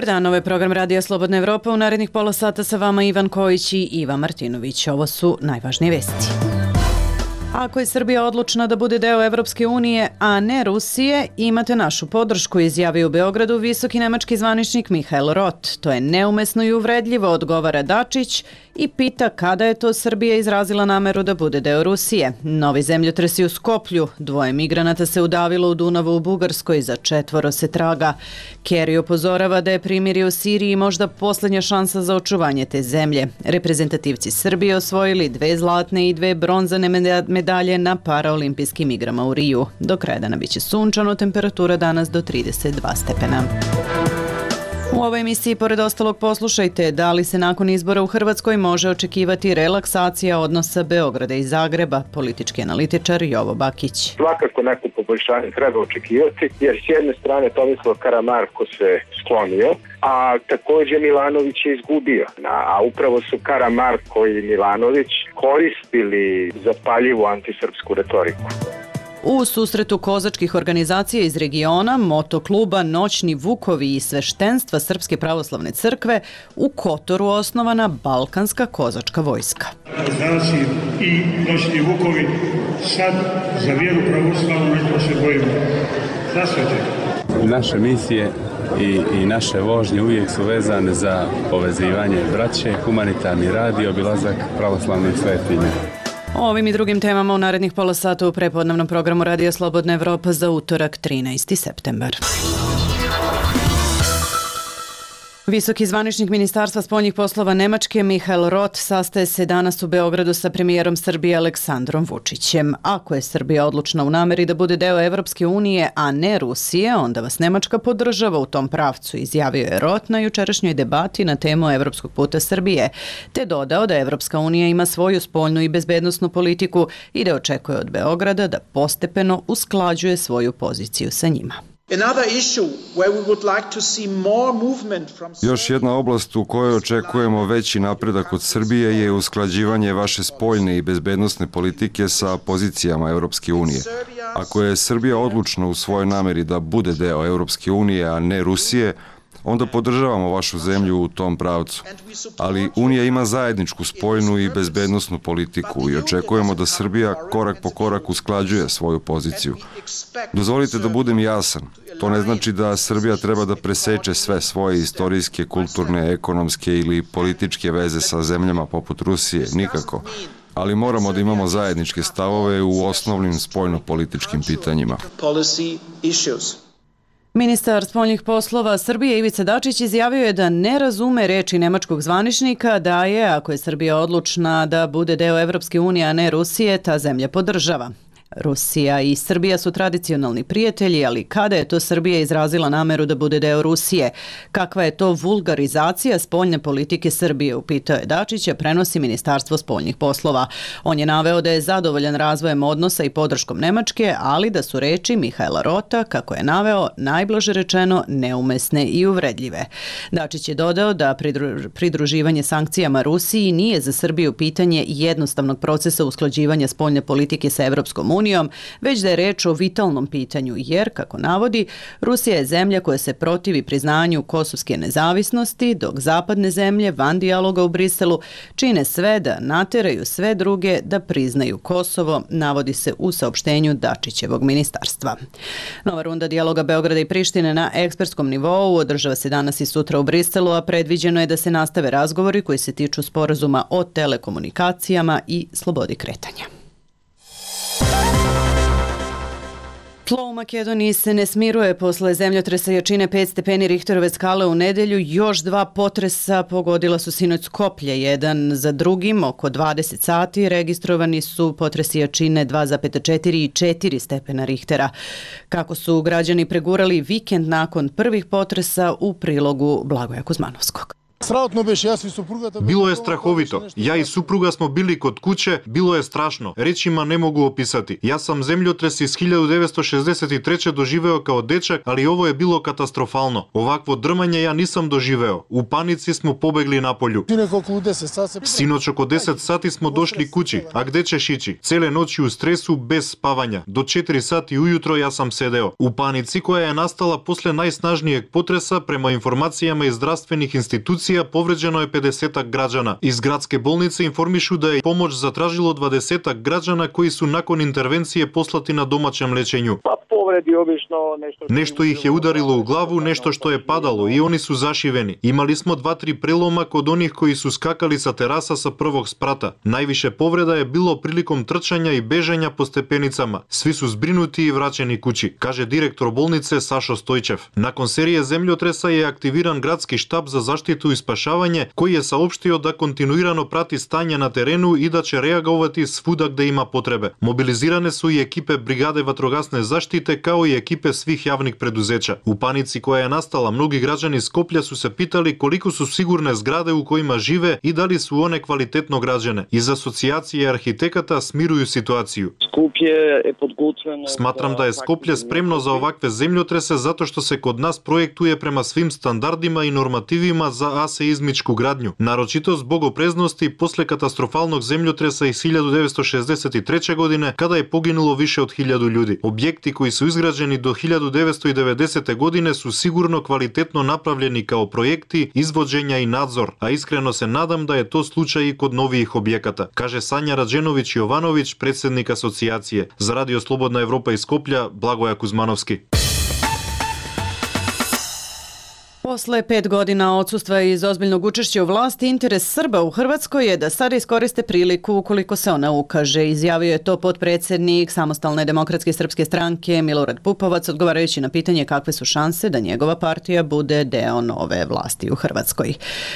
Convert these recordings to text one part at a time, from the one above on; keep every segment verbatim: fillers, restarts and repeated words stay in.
Dobar dan, ovo je program Radija Slobodna Evropa. U narednih pola sata sa vama Ivan Kojić i Iva Martinović. Ovo su najvažnije vesti. Ako je Srbija odlučna da bude deo Evropske unije, a ne Rusije, imate našu podršku, izjavio u Beogradu visoki nemački zvaničnik Mihael Roth. To je neumesno i uvredljivo, odgovara Dačić i pita kada je to Srbija izrazila nameru da bude deo Rusije. Novi zemljotresi u Skoplju, dvoje migranata se udavilo u Dunavu u Bugarskoj, za četvoro se traga. Kerry upozorava da je primirje u Siriji možda posljednja šansa za očuvanje te zemlje. Reprezentativci Srbije osvojili dve zlatne i dve bronzane medalje na paraolimpijskim igrama u Riju. Do kraja dana biće sunčano, temperatura danas do trideset dva stepena. U ovoj emisiji, pored ostalog, poslušajte da li se nakon izbora u Hrvatskoj može očekivati relaksacija odnosa Beograda i Zagreba, politički analitičar Jovo Bakić. Svakako neko poboljšanje treba očekivati, jer s jedne strane Tomislav Karamarko se sklonio, a također Milanović je izgubio. A upravo su Karamarko i Milanović koristili zapaljivu antisrpsku retoriku. U susretu kozačkih organizacija iz regiona, motokluba Noćni Vukovi i sveštenstva Srpske pravoslavne crkve, u Kotoru osnovana Balkanska kozačka vojska. Kozaci i Noćni Vukovi sad za vjeru pravoslavnu nešto se bojimo. Zasveđe. Naše misije i, i naše vožnje uvijek su vezane za povezivanje braće, humanitarni rad i obilazak pravoslavnih svetinja. O ovim i drugim temama u narednih pola sata u prepodnevnom programu Radija Slobodna Evropa za utorak trinaesti septembar. Visoki zvaničnik Ministarstva spoljnih poslova Nemačke Mihael Roth sastaje se danas u Beogradu sa premijerom Srbije Aleksandrom Vučićem. Ako je Srbija odlučna u nameri da bude deo Evropske unije, a ne Rusije, onda vas Nemačka podržava u tom pravcu, izjavio je Roth na jučerašnjoj debati na temu Evropskog puta Srbije, te dodao da Evropska unija ima svoju spoljnu i bezbednosnu politiku i da očekuje od Beograda da postepeno usklađuje svoju poziciju sa njima. Još jedna oblast u kojoj očekujemo veći napredak od Srbije je usklađivanje vaše spoljne i bezbednosne politike sa pozicijama Evropske unije. Ako je Srbija odlučna u svojoj nameri da bude deo Evropske unije, a ne Rusije, onda podržavamo vašu zemlju u tom pravcu. Ali Unija ima zajedničku spoljnu i bezbednosnu politiku i očekujemo da Srbija korak po korak usklađuje svoju poziciju. Dozvolite da budem jasan. To ne znači da Srbija treba da preseče sve svoje istorijske, kulturne, ekonomske ili političke veze sa zemljama poput Rusije, nikako. Ali moramo da imamo zajedničke stavove u osnovnim spoljno-političkim pitanjima. Ministar spoljnih poslova Srbije Ivica Dačić izjavio je da ne razume reči nemačkog zvaničnika da je, ako je Srbija odlučna da bude deo Evropske unije, a ne Rusije, ta zemlja podržava. Rusija i Srbija su tradicionalni prijatelji, ali kada je to Srbija izrazila nameru da bude deo Rusije? Kakva je to vulgarizacija spoljne politike Srbije, upitao je Dačića, prenosi Ministarstvo spoljnih poslova. On je naveo da je zadovoljan razvojem odnosa i podrškom Nemačke, ali da su reči Mihaela Rota, kako je naveo, najblaže rečeno neumesne i uvredljive. Dačić je dodao da pridruživanje sankcijama Rusiji nije za Srbiju pitanje jednostavnog procesa usklađivanja spoljne politike sa Evropskom unijom, unijom, već da je reč o vitalnom pitanju, jer, kako navodi, Rusija je zemlja koja se protivi priznanju kosovske nezavisnosti, dok zapadne zemlje van dijaloga u Briselu čine sve da nateraju sve druge da priznaju Kosovo, navodi se u saopštenju Dačićevog ministarstva. Nova runda dijaloga Beograda i Prištine na ekspertskom nivou održava se danas i sutra u Briselu, a predviđeno je da se nastave razgovori koji se tiču sporazuma o telekomunikacijama i slobodi kretanja. Tlo u Makedoniji se ne smiruje posle zemljotresa jačine pet stepeni Richterove skale u nedelju. Još dva potresa pogodila su sinoć Skoplje. Jedan za drugim, oko dvadeset sati, registrovani su potresi jačine dva zarez četiri i četiri stepena Richtera. Kako su građani pregurali vikend nakon prvih potresa, u prilogu Blagoja Kuzmanovskog. Bilo je strahovito. Ja i supruga smo bili kod kuće, bilo je strašno. Rečima ne mogu opisati. Ja sam zemljotres iz hiljadu devetsto šezdeset treće doživeo kao dečak, ali ovo je bilo katastrofalno. Ovakvo drmanje ja nisam doživeo. U panici smo pobegli na polju. Sinoć oko deset sati smo došli kući. A gde ćeš ići? Cele noći u stresu, bez spavanja. Do četiri sati ujutro ja sam sedeo. U panici koja je nastala posle najsnažnijeg potresa, prema informacijama iz zdravstvenih institucija, povređeno je pedesetak građana. Iz gradske bolnice informišu da je pomoć zatražilo dvadesetak građana koji su nakon intervencije poslati na domaćem lečenju. Nešto ih je udarilo u glavu, nešto što je padalo i oni su zašiveni. Imali smo dva, tri preloma kod onih koji su skakali sa terasa sa prvog sprata. Najviše povreda je bilo prilikom trčanja i bežanja po stepenicama. Svi su zbrinuti i vraćeni kući, kaže direktor bolnice Sašo Stojčev. Nakon serije zemljotresa je aktiviran gradski štab za zaštitu i spašavanje, koji je saopštio da kontinuirano prati stanje na terenu i da će reagovati svuda gde ima potrebe. Mobilizirane su i ekipe brigade vatrogasne zaštite kao i ekipe svih javnih preduzeća. U panici koja je nastala, mnogi građani Skoplja su se pitali koliko su sigurne zgrade u kojima žive i da li su one kvalitetno građene. Iz asocijacije arhitekata smiruju situaciju. Smatram da je Skoplje spremno za ovakve zemljotrese zato što se kod nas projektuje prema svim standardima i normativima za aseizmičku gradnju, naročito zbog opreznosti posle katastrofalnog zemljotresa iz hiljadu devetsto šezdeset treće. godine kada je poginulo više od hiljadu ljudi. Objekti koji su izgrađeni do hiljadu devetsto devedesete. godine su sigurno kvalitetno napravljeni kao projekti, izvođenja i nadzor, a iskreno se nadam da je to slučaj i kod novijih objekata, kaže Sanja Rađenović-Jovanović, predsjednik asocijacije. Za Radio Slobodna Evropa iz Skoplja, Blagoja Kuzmanovski. Posle pet godina odsustva iz ozbiljnog učešća u vlasti, interes Srba u Hrvatskoj je da sada iskoriste priliku ukoliko se ona ukaže. Izjavio je to potpredsjednik Samostalne demokratske srpske stranke Milorad Pupovac, odgovarajući na pitanje kakve su šanse da njegova partija bude deo nove vlasti u Hrvatskoj.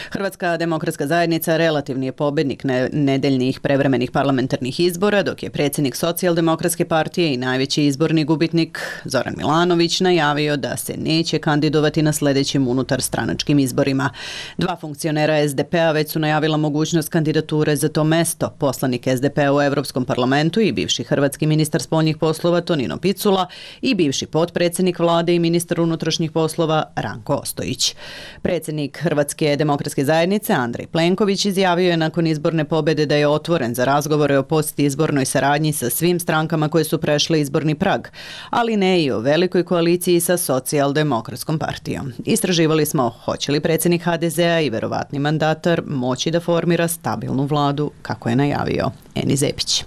Hrvatska demokratska zajednica relativni je pobednik nedeljnih prevremenih parlamentarnih izbora, dok je predsjednik Socijaldemokratske partije i najveći izborni gubitnik Zoran Milanović najavio da se neće kandidovati na sljedećim unutar stranačkim izborima. Dva funkcionera es de pe a već su najavila mogućnost kandidature za to mesto. Poslanik es de pe a u Evropskom parlamentu i bivši hrvatski ministar spoljnih poslova Tonino Picula i bivši potpredsjednik vlade i ministar unutrašnjih poslova Ranko Ostojić. Predsjednik Hrvatske demokratske zajednice Andrej Plenković izjavio je nakon izborne pobjede da je otvoren za razgovore o postizbornoj saradnji sa svim strankama koje su prešle izborni prag, ali ne i o velikoj koaliciji sa Socijaldemokratskom partijom. Istraživali smo hoće li predsjednik ha de ze a i verovatni mandatar moći da formira stabilnu vladu kako je najavio Eni Zepić.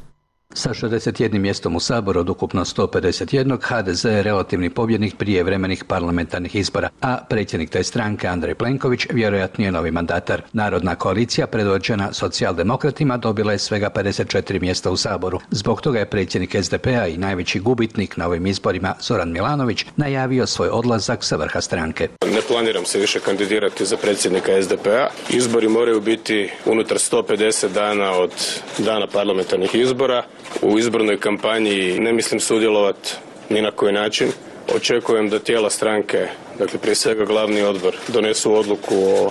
Sa šezdeset jednim mjestom u Saboru od ukupno sto pedeset jedan, ha de ze je relativni pobjednik prijevremenih parlamentarnih izbora, a predsjednik te stranke Andrej Plenković vjerojatno je novi mandatar. Narodna koalicija predvođena socijaldemokratima dobila je svega pedeset četiri mjesta u Saboru. Zbog toga je predsjednik es de pe a i najveći gubitnik na ovim izborima Zoran Milanović najavio svoj odlazak sa vrha stranke. Ne planiram se više kandidirati za predsjednika es de pe a. Izbori moraju biti unutar sto pedeset dana od dana parlamentarnih izbora. U izbornoj kampanji ne mislim sudjelovati ni na koji način. Očekujem da tijela stranke, dakle prije svega glavni odbor, donesu odluku o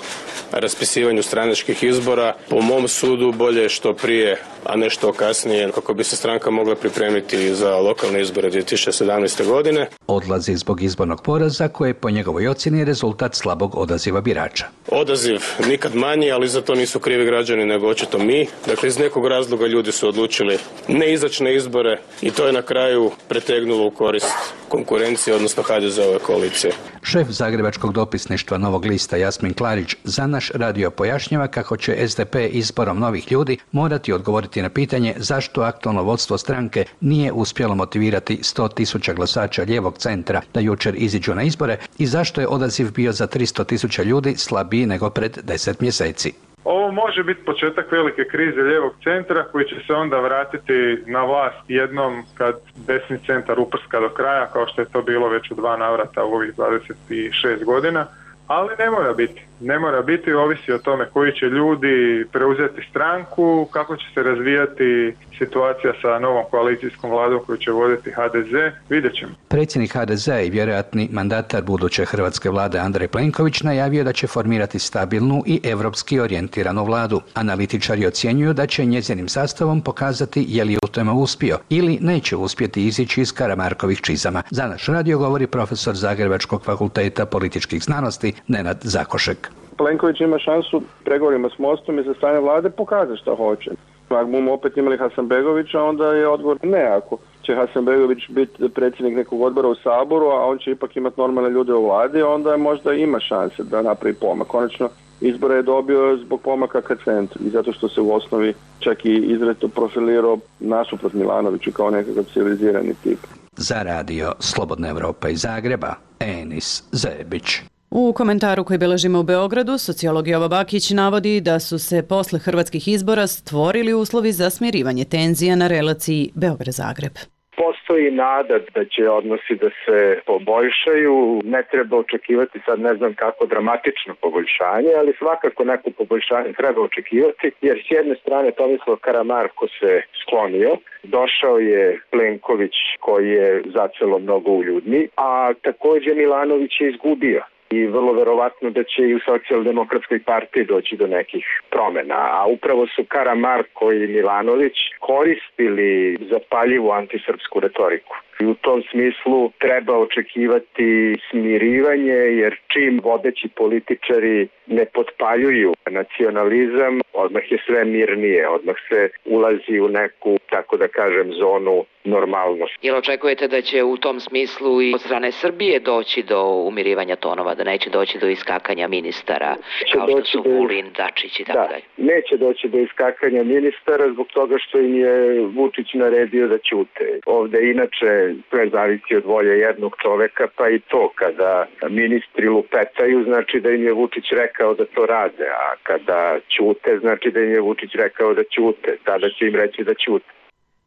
raspisivanju stranačkih izbora. Po mom sudu bolje što prije, a ne što kasnije, kako bi se stranka mogla pripremiti za lokalne izbore dvije tisuće sedamnaeste. godine. Odlazi zbog izbornog poraza koje po njegovoj ocjeni je rezultat slabog odaziva birača. Odaziv nikad manji, ali za to nisu krivi građani nego očito mi. Dakle, iz nekog razloga ljudi su odlučili ne izaći na izbore i to je na kraju pretegnulo u korist konkurencije, odnosno ha de ze ove koalicije. Šef zagrebačkog dopisništva Novog lista Jasmin Klarić za naš radio pojašnjava kako će es de pe izborom novih ljudi morati odgovoriti na pitanje zašto aktualno vodstvo stranke nije uspjelo motivirati sto tisuća glasača lijevog centra da jučer iziđu na izbore i zašto je odaziv bio za tristo tisuća ljudi slabiji nego pred deset mjeseci. Ovo može biti početak velike krize lijevog centra koji će se onda vratiti na vlast jednom kad desni centar uprska do kraja, kao što je to bilo već u dva navrata u ovih dvadeset šest godina, ali ne mora biti. ne mora biti, ovisi o tome koji će ljudi preuzeti stranku, kako će se razvijati situacija sa novom koalicijskom vladom koju će voditi ha de ze, vidjet ćemo. Predsjednik ha de ze i vjerojatni mandatar buduće hrvatske vlade Andrej Plenković najavio da će formirati stabilnu i evropski orijentiranu vladu. Analitičari ocjenjuju da će njezinim sastavom pokazati je li u tome uspio ili neće uspjeti izići iz Karamarkovih čizama. Za naš radio govori profesor Zagrebačkog fakulteta političkih znanosti Nenad Zakošek. Plenković ima šansu pregovorima s Mostom i sa strane vlade pokazati šta hoće. Ako bomo opet imali Hasanbegovića, onda je odgovor ne. Ako će Hasanbegović biti predsjednik nekog odbora u Saboru, a on će ipak imati normalne ljude u vladi, onda možda ima šanse da napravi pomak. Konačno, izbore je dobio zbog pomaka ka centru i zato što se u osnovi čak i izrazito profilirao nasuprot Milanoviću kao nekakav civilizirani tip. Za radio Slobodna Evropa iz Zagreba, Enis Zebić. U komentaru koji beležimo u Beogradu, sociolog Jovo Bakić navodi da su se posle hrvatskih izbora stvorili uslovi za smirivanje tenzija na relaciji Beograd-Zagreb. Postoji nada da će odnosi da se poboljšaju, ne treba očekivati sad ne znam kako dramatično poboljšanje, ali svakako neko poboljšanje treba očekivati, jer s jedne strane Tomislav Karamarko se sklonio, došao je Plenković koji je zacelo mnogo uljudni, a također Milanović je izgubio. I vrlo verovatno da će i u socijaldemokratskoj partiji doći do nekih promjena, a upravo su Karamarko i Milanović koristili zapaljivu antisrpsku retoriku. I u tom smislu treba očekivati smirivanje, jer čim vodeći političari ne potpaljuju nacionalizam, odmah je sve mirnije, odmah se ulazi u neku, tako da kažem, zonu normalnosti. Jel očekujete da će u tom smislu i od strane Srbije doći do umirivanja tonova, da neće doći do iskakanja ministara, kao što su Vulin, Dačić i tako dalje? Neće doći do iskakanja ministara zbog toga što im je Vučić naredio da ćute. Ovde inače sve zavisi od volje jednog čoveka, pa i to kada ministri lupetaju, znači da im je Vučić rekao da to rade, a kada ćute, znači da im je Vučić rekao da ćute, tada će im reći da ćute.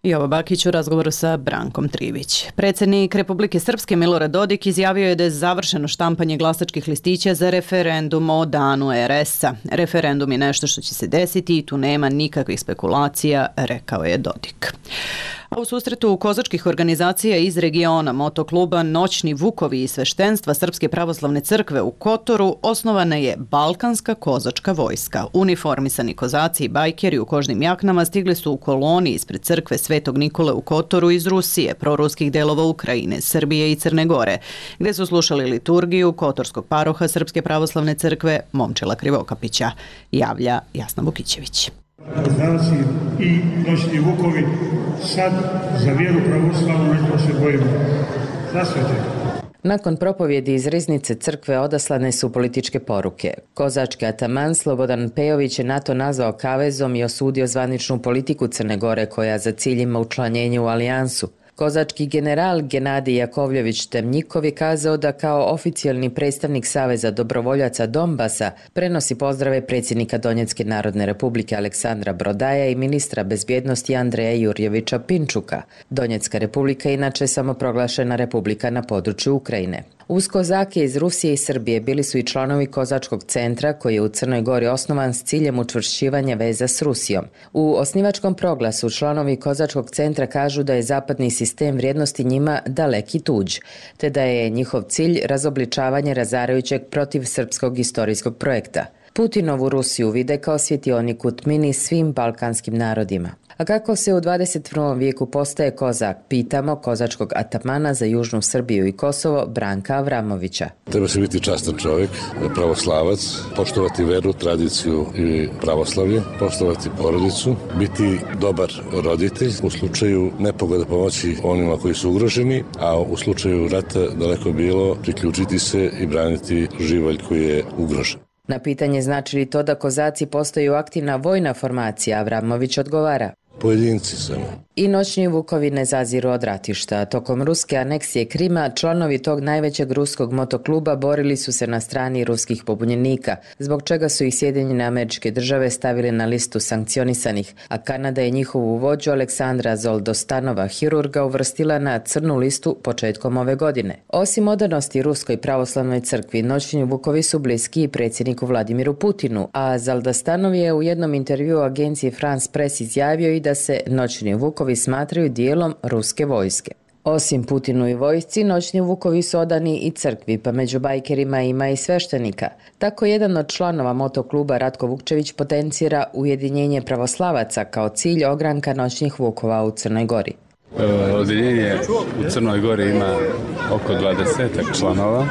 Jovo Bakić u razgovoru sa Brankom Trivić. Predsjednik Republike Srpske Milorad Dodik izjavio je da je završeno štampanje glasačkih listića za referendum o danu er es-a. Referendum je nešto što će se desiti i tu nema nikakvih spekulacija, rekao je Dodik. A u susretu kozačkih organizacija iz regiona motokluba Noćni Vukovi i sveštenstva Srpske pravoslavne crkve u Kotoru osnovana je Balkanska kozačka vojska. Uniformisani kozaci i bajkeri u kožnim jaknama stigli su u koloni ispred crkve Svetog Nikole u Kotoru iz Rusije, proruskih delova Ukrajine, Srbije i Crne Gore, gde su slušali liturgiju kotorskog paroha Srpske pravoslavne crkve Momčila Krivokapića, javlja Jasna Vukićević. Kozaci i Noćni Vukovi sad za vjeru pravoslavnu nešto se bojimo. Zasvete. Nakon propovjedi iz riznice crkve odaslane su političke poruke. Kozački ataman Slobodan Pejović je NATO nazvao kavezom i osudio zvaničnu politiku Crne Gore koja za cilj ima učlanjenje u alijansu. Kozački general Genadij Jakovljević Temnjikov je kazao da kao oficijalni predstavnik Saveza dobrovoljaca Donbasa prenosi pozdrave predsjednika Donjecke narodne republike Aleksandra Brodaja i ministra bezbjednosti Andreja Jurjevića Pinčuka. Donjecka republika je inače samoproglašena republika na području Ukrajine. Uz kozake iz Rusije i Srbije bili su i članovi Kozačkog centra koji je u Crnoj Gori osnovan s ciljem učvršćivanja veza s Rusijom. U osnivačkom proglasu članovi Kozačkog centra kažu da je zapadni sistem vrijednosti njima daleki tuđ, te da je njihov cilj razobličavanje razarajućeg protiv srpskog istorijskog projekta. Putinovu Rusiju vide kao svjetionik u tmini svim balkanskim narodima. A kako se u dvadeset prvom vijeku postaje kozak, pitamo kozačkog atamana za Južnu Srbiju i Kosovo Branka Avramovića. Treba se biti častan čovjek, pravoslavac, poštovati veru, tradiciju i pravoslavlje, poštovati porodicu, biti dobar roditelj, u slučaju nepogode pomoći onima koji su ugroženi, a u slučaju rata daleko bilo priključiti se i braniti živalj koji je ugrožen. Na pitanje znači li to da kozaci postaju aktivna vojna formacija, Avramović odgovara. pojedinci samo. I noćni vukovi ne zaziru od ratišta. Tokom ruske aneksije Krima, članovi tog najvećeg ruskog motokluba borili su se na strani ruskih pobunjenika, zbog čega su ih Sjedinjene Američke Države stavili na listu sankcionisanih, a Kanada je njihovu vođu Aleksandra Zoldostanova, hirurga, uvrstila na crnu listu početkom ove godine. Osim odanosti Ruskoj pravoslavnoj crkvi, noćni vukovi su bliski i predsjedniku Vladimiru Putinu, a Zoldostanov je u jednom intervjuu agenciji France Press izjavio i da se noćni vukovi smatraju dijelom ruske vojske. Osim Putinu i vojsci, noćni vukovi su odani i crkvi, pa među bajkerima ima i sveštenika. Tako jedan od članova motokluba Ratko Vukčević potencira ujedinjenje pravoslavaca kao cilj ogranka noćnih vukova u Crnoj Gori. Odjeljenje u Crnoj Gori ima oko dvadesetak članova.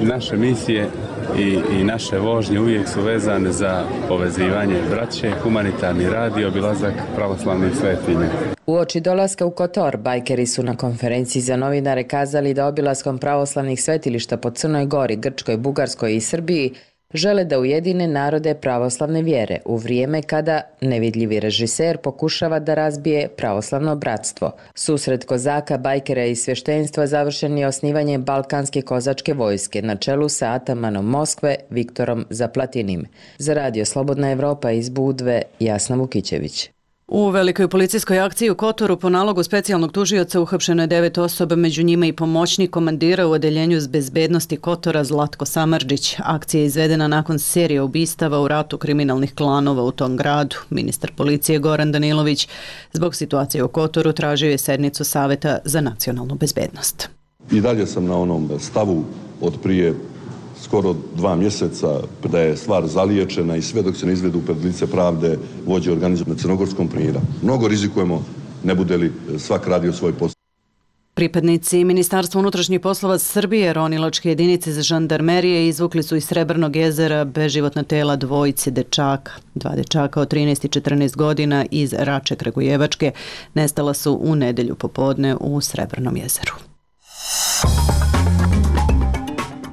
Naše misije i, i naše vožnje uvijek su vezane za povezivanje braće, humanitarni rad i obilazak pravoslavnih svetinja. Uoči dolaska u Kotor, bajkeri su na konferenciji za novinare kazali da obilaskom pravoslavnih svetilišta po Crnoj Gori, Grčkoj, Bugarskoj i Srbiji žele da ujedine narode pravoslavne vjere u vrijeme kada nevidljivi režiser pokušava da razbije pravoslavno bratstvo. Susret kozaka, bajkera i svještenstva završen je osnivanjem Balkanske kozačke vojske na čelu sa atamanom Moskve Viktorom Zaplatinim. Za radio Slobodna Evropa iz Budve, Jasna Vukićević. U velikoj policijskoj akciji u Kotoru po nalogu specijalnog tužioca uhapšeno je devet osoba, među njima i pomoćnik komandira u odeljenju bezbednosti Kotora Zlatko Samardžić. Akcija je izvedena nakon serije ubistava u ratu kriminalnih klanova u tom gradu. Ministar policije Goran Danilović zbog situacije u Kotoru tražio je sednicu Saveta za nacionalnu bezbednost. I dalje sam na onom stavu od prije skoro dva mjeseca da je stvar zaliječena i sve dok se ne izvedu pred lice pravde vođe organizovanog crnogorskom primjera. Mnogo rizikujemo, ne bude li svak radio svoj posao. Pripadnici Ministarstva unutrašnjih poslova Srbije ronilačke jedinice za žandarmerije izvukli su iz Srebrnog jezera beživotna tela dvojice dečaka. Dva dečaka od trinaest i četrnaest godina iz Rače Kragujevačke nestala su u nedelju popodne u Srebrnom jezeru.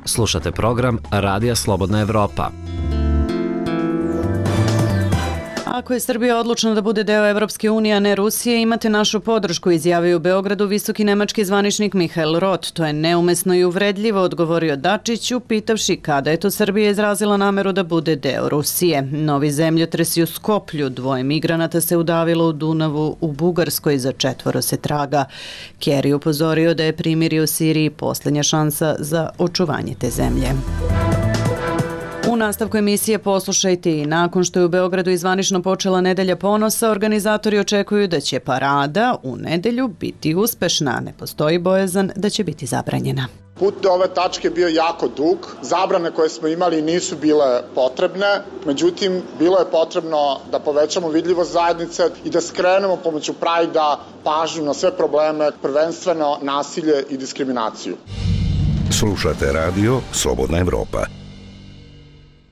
Slušate program Radija Slobodna Evropa. Ako je Srbija odlučna da bude deo Evropske unije, a ne Rusije, imate našu podršku, izjavio u Beogradu visoki nemački zvaničnik Mihael Roth. To je neumesno i uvredljivo, odgovorio Dačiću, pitavši kada je to Srbija izrazila nameru da bude deo Rusije. Novi zemljotresi u Skoplju, dvoje migranata se udavilo u Dunavu u Bugarskoj, za četvoro se traga. Kerry upozorio da je primirje u Siriji posljednja šansa za očuvanje te zemlje. U nastavku emisije poslušajte i nakon što je u Beogradu izvanično počela Nedelja ponosa, organizatori očekuju da će parada u nedelju biti uspešna. Ne postoji bojazan da će biti zabranjena. Put do ove tačke bio jako dug, zabrane koje smo imali nisu bile potrebne, međutim bilo je potrebno da povećamo vidljivost zajednice i da skrenemo pomoću Prajda pažnju na sve probleme, prvenstveno nasilje i diskriminaciju. Slušate radio Slobodna Evropa.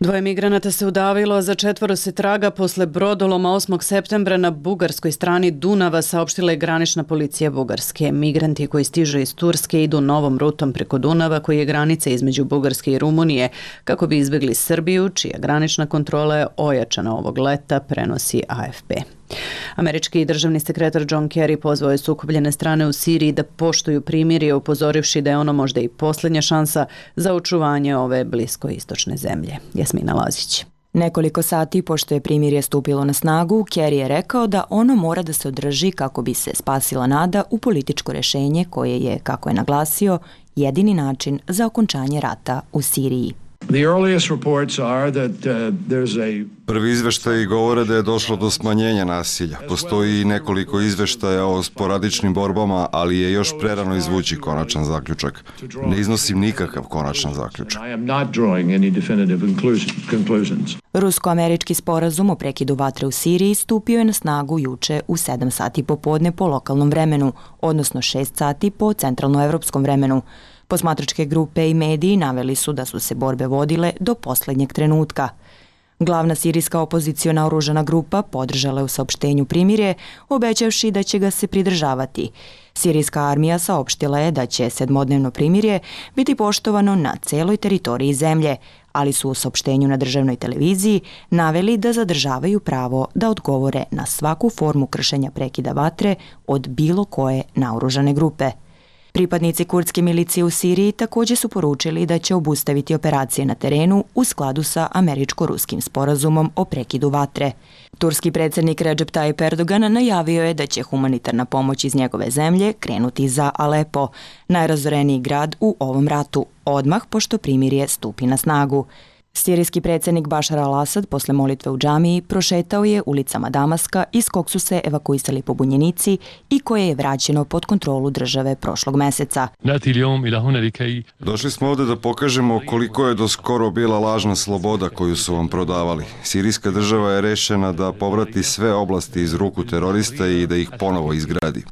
Dvoje migranata se udavilo, a za četvoro se traga posle brodoloma osmog septembra na bugarskoj strani Dunava, saopštila je granična policija Bugarske. Migranti koji stižu iz Turske idu novom rutom preko Dunava, koji je granica između Bugarske i Rumunije, kako bi izbjegli Srbiju, čija granična kontrola je ojačana ovog leta, prenosi A F P. Američki državni sekretar John Kerry pozvao je sukobljene strane u Siriji da poštuju primirje, upozorivši da je ono možda i posljednja šansa za očuvanje ove bliskoistočne zemlje. Jasmina Lazić. Nekoliko sati pošto je primirje stupilo na snagu, Kerry je rekao da ono mora da se održi kako bi se spasila nada u političko rješenje koje je, kako je naglasio, jedini način za okončanje rata u Siriji. Prvi izveštaji govore da je došlo do smanjenja nasilja. Postoji i nekoliko izveštaja o sporadičnim borbama, ali je još prerano izvući konačan zaključak. Ne iznosim nikakav konačan zaključak. Rusko-američki sporazum o prekidu vatre u Siriji stupio je na snagu juče u sedam sati popodne po lokalnom vremenu, odnosno šest sati po centralnoevropskom vremenu. Posmatračke grupe i mediji naveli su da su se borbe vodile do posljednjeg trenutka. Glavna sirijska opoziciona oružana grupa podržala je u saopštenju primirje, obećavši da će ga se pridržavati. Sirijska armija saopštila je da će sedmodnevno primirje biti poštovano na celoj teritoriji zemlje, ali su u saopštenju na državnoj televiziji naveli da zadržavaju pravo da odgovore na svaku formu kršenja prekida vatre od bilo koje naoružane grupe. Pripadnici kurdske milicije u Siriji također su poručili da će obustaviti operacije na terenu u skladu sa američko-ruskim sporazumom o prekidu vatre. Turski predsjednik Recep Tayyip Erdogan najavio je da će humanitarna pomoć iz njegove zemlje krenuti za Alepo, najrazoreniji grad u ovom ratu, odmah pošto primirje stupi na snagu. Sirijski predsjednik Bašar al-Asad posle molitve u džamiji prošetao je ulicama Damaska iz kog su se evakuisali pobunjenici i koje je vraćeno pod kontrolu države prošlog meseca. Došli smo ovdje da pokažemo koliko je do skoro bila lažna sloboda koju su vam prodavali. Sirijska država je rešena da povrati sve oblasti iz ruku terorista i da ih ponovo izgradi.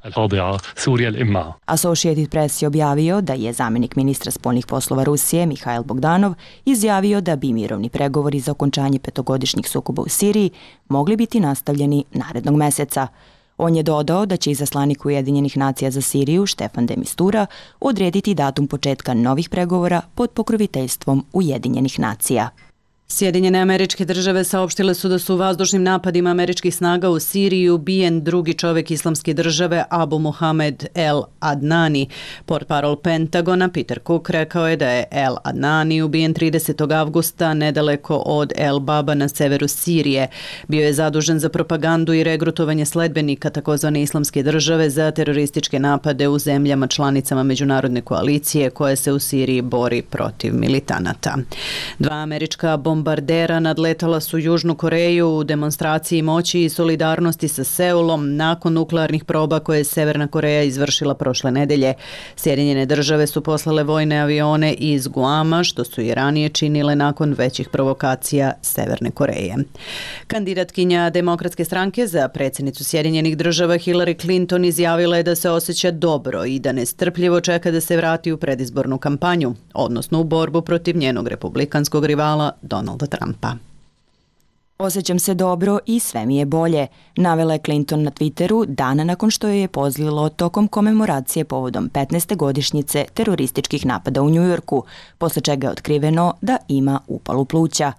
Associated Press je objavio da je zamjenik ministra spoljnih poslova Rusije Mihail Bogdanov izjavio da bi mirovni pregovori za okončanje petogodišnjih sukoba u Siriji mogli biti nastavljeni narednog meseca. On je dodao da će izaslanik Ujedinjenih nacija za Siriju Štefan de Mistura odrediti datum početka novih pregovora pod pokroviteljstvom Ujedinjenih nacija. Sjedinjene Američke Države saopštile su da su u vazdušnim napadima američkih snaga u Siriji ubijen drugi čovjek Islamske države Abu Mohamed El Adnani. Portparol Pentagona Peter Cook rekao je da je El Adnani ubijen tridesetog avgusta nedaleko od El Baba na severu Sirije. Bio je zadužen za propagandu i regrutovanje sledbenika takozvane Islamske države za terorističke napade u zemljama članicama međunarodne koalicije koje se u Siriji bori protiv militanata. Dva američka bomba Bombardera nadletala su Južnu Koreju u demonstraciji moći i solidarnosti sa Seulom nakon nuklearnih proba koje je Severna Koreja izvršila prošle nedelje. Sjedinjene države su poslale vojne avione iz Guama, što su i ranije činile nakon većih provokacija Severne Koreje. Kandidatkinja Demokratske stranke za predsjednicu Sjedinjenih država Hillary Clinton izjavila je da se osjeća dobro i da nestrpljivo čeka da se vrati u predizbornu kampanju, odnosno u borbu protiv njenog republikanskog rivala Donalda Trumpa. Osjećam se dobro i sve mi je bolje, navela je Clinton na Twitteru dana nakon što joj je pozlilo tokom komemoracije povodom petnaeste godišnjice terorističkih napada u Njujorku, posle čega je otkriveno da ima upalu pluća.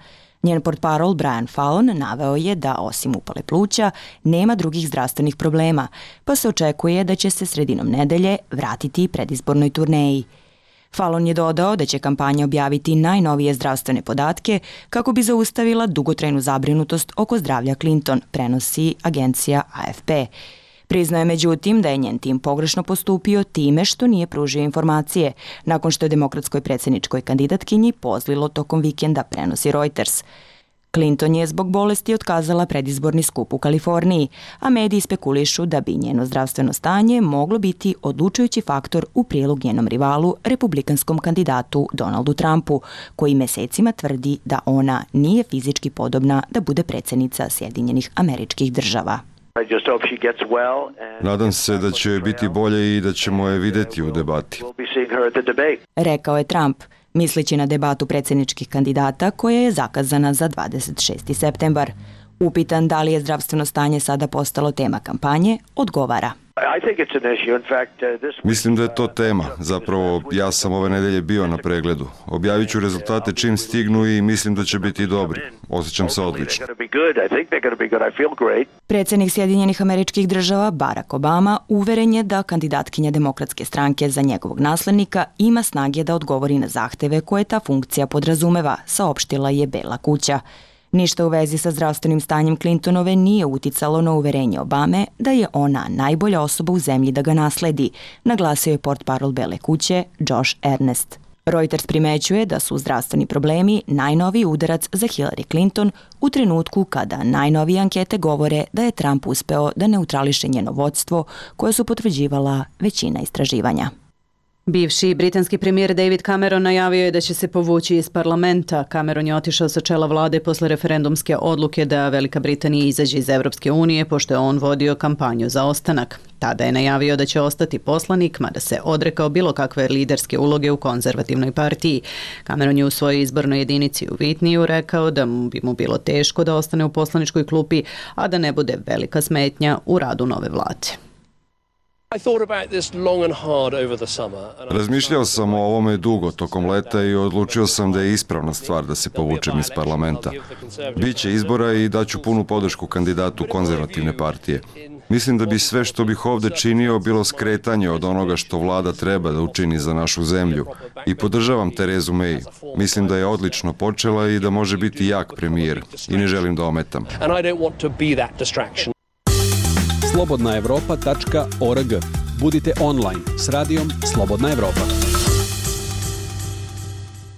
Njen portparol Brian Fallon naveo je da osim upale pluća nema drugih zdravstvenih problema, pa se očekuje da će se sredinom nedelje vratiti predizbornoj turneji. Fallon je dodao da će kampanja objaviti najnovije zdravstvene podatke kako bi zaustavila dugotrajnu zabrinutost oko zdravlja Clinton, prenosi agencija A F P. Priznao je međutim da je njen tim pogrešno postupio time što nije pružio informacije, nakon što je demokratskoj predsjedničkoj kandidatkinji pozlilo tokom vikenda, prenosi Reuters. Clinton je zbog bolesti otkazala predizborni skup u Kaliforniji, a mediji spekulišu da bi njeno zdravstveno stanje moglo biti odlučujući faktor u prilog njenom rivalu, republikanskom kandidatu Donaldu Trumpu, koji mesecima tvrdi da ona nije fizički podobna da bude predsjednica Sjedinjenih Američkih Država. Nadam se da će joj biti bolje i da ćemo je vidjeti u debati, rekao je Trump, misleći na debatu predsjedničkih kandidata koja je zakazana za dvadeset šesti septembar. Upitan da li je zdravstveno stanje sada postalo tema kampanje, odgovara. Mislim da je to tema. Zapravo, ja sam ove nedelje bio na pregledu. Objavit ću rezultate čim stignu i mislim da će biti dobri. Osjećam se odlično. Predsjednik Sjedinjenih Američkih Država Barack Obama uveren je da kandidatkinja Demokratske stranke za njegovog naslednika ima snage da odgovori na zahteve koje ta funkcija podrazumeva, saopštila je Bela kuća. Ništa u vezi sa zdravstvenim stanjem Clintonove nije uticalo na uverenje Obame da je ona najbolja osoba u zemlji da ga nasledi, naglasio je portparol Bele kuće Josh Ernest. Reuters primećuje da su zdravstveni problemi najnoviji udarac za Hillary Clinton u trenutku kada najnovije ankete govore da je Trump uspeo da neutrališe njeno vodstvo koje su potvrđivala većina istraživanja. Bivši britanski premijer David Cameron najavio je da će se povući iz parlamenta. Cameron je otišao sa čela vlade posle referendumske odluke da Velika Britanija izađe iz Evropske unije, pošto je on vodio kampanju za ostanak. Tada je najavio da će ostati poslanik, mada se odrekao bilo kakve liderske uloge u konzervativnoj partiji. Cameron je u svojoj izbornoj jedinici u Whitneyu rekao da bi mu bilo teško da ostane u poslaničkoj klupi, a da ne bude velika smetnja u radu nove vlade. Razmišljao sam o ovome dugo tokom leta i odlučio sam da je ispravna stvar da se povučem iz parlamenta. Biće izbora i daću punu podršku kandidatu konzervativne partije. Mislim da bi sve što bih ovde činio bilo skretanje od onoga što vlada treba da učini za našu zemlju. I podržavam Terezu May. Mislim da je odlično počela i da može biti jak premijer. I ne želim da ometam. slobodna evropa tačka org. Budite online s radijom Slobodna Evropa.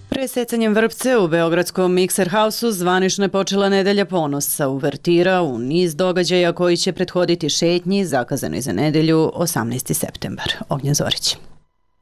Presecanjem vrpce u beogradskom Mikser Hausu zvanično je počela nedelja ponosa, uvertira u niz događaja koji će prethoditi šetnji zakazanoj za nedelju osamnaesti septembar. Ognjen Zorić.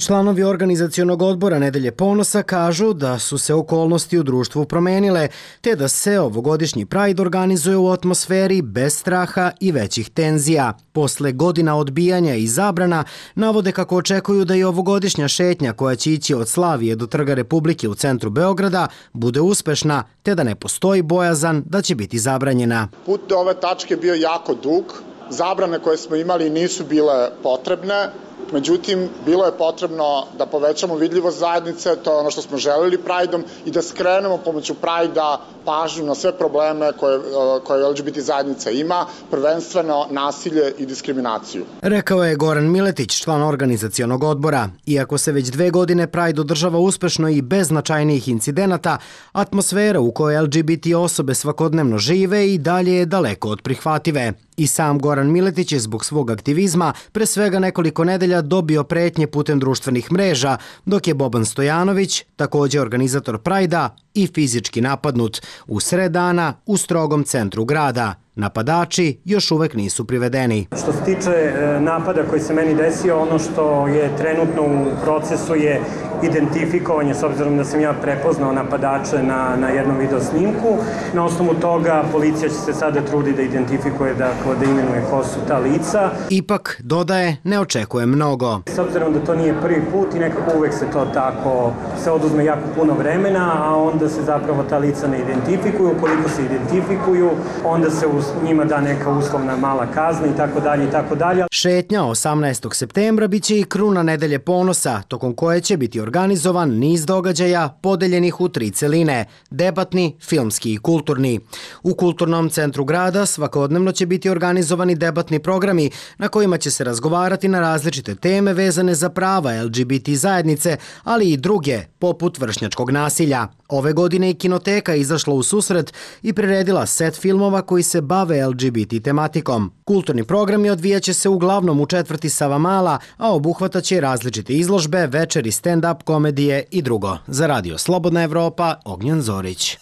Članovi organizacionog odbora Nedelje ponosa kažu da su se okolnosti u društvu promenile, te da se ovogodišnji Pride organizuje u atmosferi bez straha i većih tenzija. Posle godina odbijanja i zabrana, navode kako očekuju da i ovogodišnja šetnja koja će ići od Slavije do Trga Republike u centru Beograda bude uspešna, te da ne postoji bojazan da će biti zabranjena. Put do ove tačke bio jako dug, zabrane koje smo imali nisu bile potrebne. Međutim, bilo je potrebno da povećamo vidljivost zajednice, to je ono što smo želeli Prideom, i da skrenemo pomoću Pridea pažnju na sve probleme koje, koje L G B T zajednica ima, prvenstveno nasilje i diskriminaciju. Rekao je Goran Miletić, član organizacionog odbora. Iako se već dve godine Pride održava uspešno i bez značajnijih incidenata, atmosfera u kojoj L G B T osobe svakodnevno žive i dalje je daleko od prihvative. I sam Goran Miletić je zbog svog aktivizma pre svega nekoliko nedelja dobio pretnje putem društvenih mreža, dok je Boban Stojanović, također organizator Prajda, i fizički napadnut u sred dana u strogom centru grada. Napadači još uvek nisu privedeni. Što se tiče napada koji se meni desio, ono što je trenutno u procesu je identifikovanje, s obzirom da sam ja prepoznao napadače na, na jednom video snimku. Na osnovu toga policija će se sada trudi da identifikuje, dakle, da imenuje ko su ta lica. Ipak, dodaje, ne očekuje mnogo. S obzirom da to nije prvi put i nekako uvek se to tako, se oduzme jako puno vremena, a onda se zapravo ta lica ne identifikuju. Ukoliko se identifikuju, onda se uz njima da neka uslovna mala kazna i tako dalje i tako dalje. Šetnja osamnaestog septembra biće i kruna Nedelje ponosa, tokom koje će biti organizovan niz događaja podeljenih u tri celine, debatni, filmski i kulturni. U Kulturnom centru grada svakodnevno će biti organizovani debatni programi na kojima će se razgovarati na različite teme vezane za prava L G B T zajednice, ali i druge, poput vršnjačkog nasilja. Ove godine i Kinoteka izašla u susret i priredila set filmova koji se bave L G B T tematikom. Kulturni programi odvijaće se uglavnom u četvrti Savamala, a obuhvataće različite izložbe, večeri, stand-up, komedije i drugo. Za Radio Slobodna Evropa, Ognjen Zorić.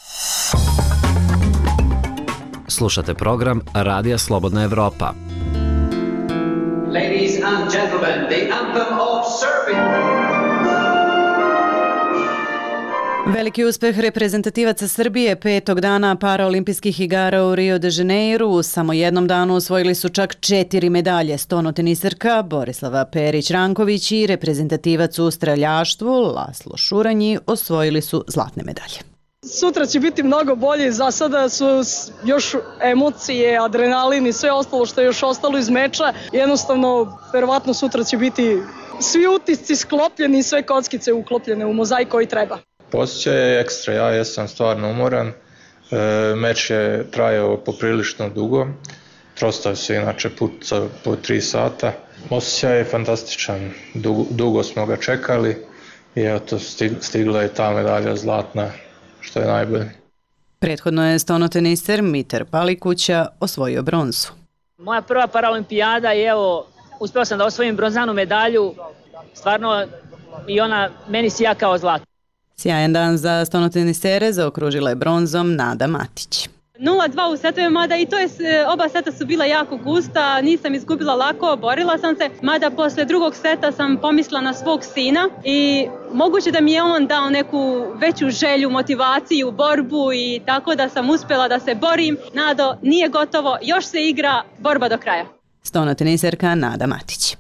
Slušate program Radija Slobodna Evropa. Ladies and gentlemen, the anthem of Serbia. Veliki uspeh reprezentativaca Srbije petog dana paraolimpijskih igara u Rio de Janeiro. U samo jednom danu osvojili su čak četiri medalje. Stonoteniserka Borislava Perić-Ranković i reprezentativac u streljaštvu Laslo Šuranji osvojili su zlatne medalje. Sutra će biti mnogo bolje, za sada su još emocije, adrenalin i sve ostalo što je još ostalo iz meča. Jednostavno, verovatno sutra će biti svi utisci sklopljeni i sve kockice uklopljene u mozaik koji treba. Osjećaj je ekstra, ja jesam stvarno umoran, e, meč je trajao poprilično dugo, trostao se inače put po tri sata. Osjećaj je fantastičan, dugo, dugo smo ga čekali i eto stigla je ta medalja zlatna, što je najbolje. Prethodno je stonoteniser Mitar Palikuća osvojio bronzu. Moja prva paraolimpijada i evo, uspeo sam da osvojim bronzanu medalju, stvarno i ona meni sija kao zlato. Sjajan dan za stonotenisere, zaokružila je bronzom Nada Matić. nula dva u setove, mada i to je, oba seta su bila jako gusta, nisam izgubila lako, borila sam se, mada posle drugog seta sam pomislila na svog sina i moguće da mi je on dao neku veću želju, motivaciju, borbu i tako da sam uspjela da se borim. Nado, nije gotovo, još se igra, borba do kraja. Stonoteniserka Nada Matić.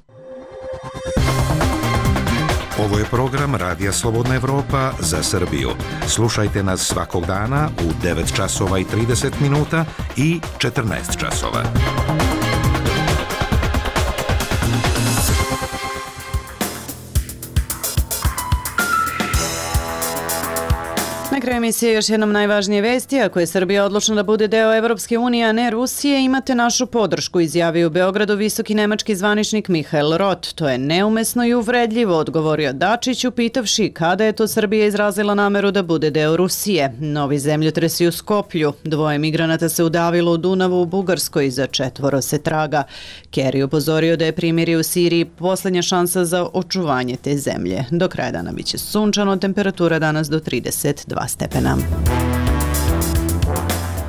Ovo je program Radija Slobodna Evropa za Srbiju. Slušajte nas svakog dana u devet časova i trideset minuta i četrnaest časova. Na kraju emisije još jednom najvažnije vesti. Ako je Srbija odlučna da bude deo Evropske unije, a ne Rusije, imate našu podršku, izjavio u Beogradu visoki nemački zvaničnik Mihael Roth. To je neumesno i uvredljivo, odgovorio Dačić, upitavši kada je to Srbija izrazila nameru da bude deo Rusije. Novi zemljotresi u Skoplju. Dvoje migranata se udavilo u Dunavu u Bugarskoj, za četvoro se traga. Kerry upozorio da je primirje u Siriji poslednja šansa za očuvanje te zemlje. Do kraja dana biće sunčano, temperatura danas do trideset dva stepena.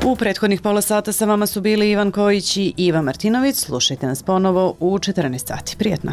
U prethodnih pola sata sa vama su bili Ivan Kojić i Iva Martinović. Slušajte nas ponovo u četrnaest sati. Prijetno!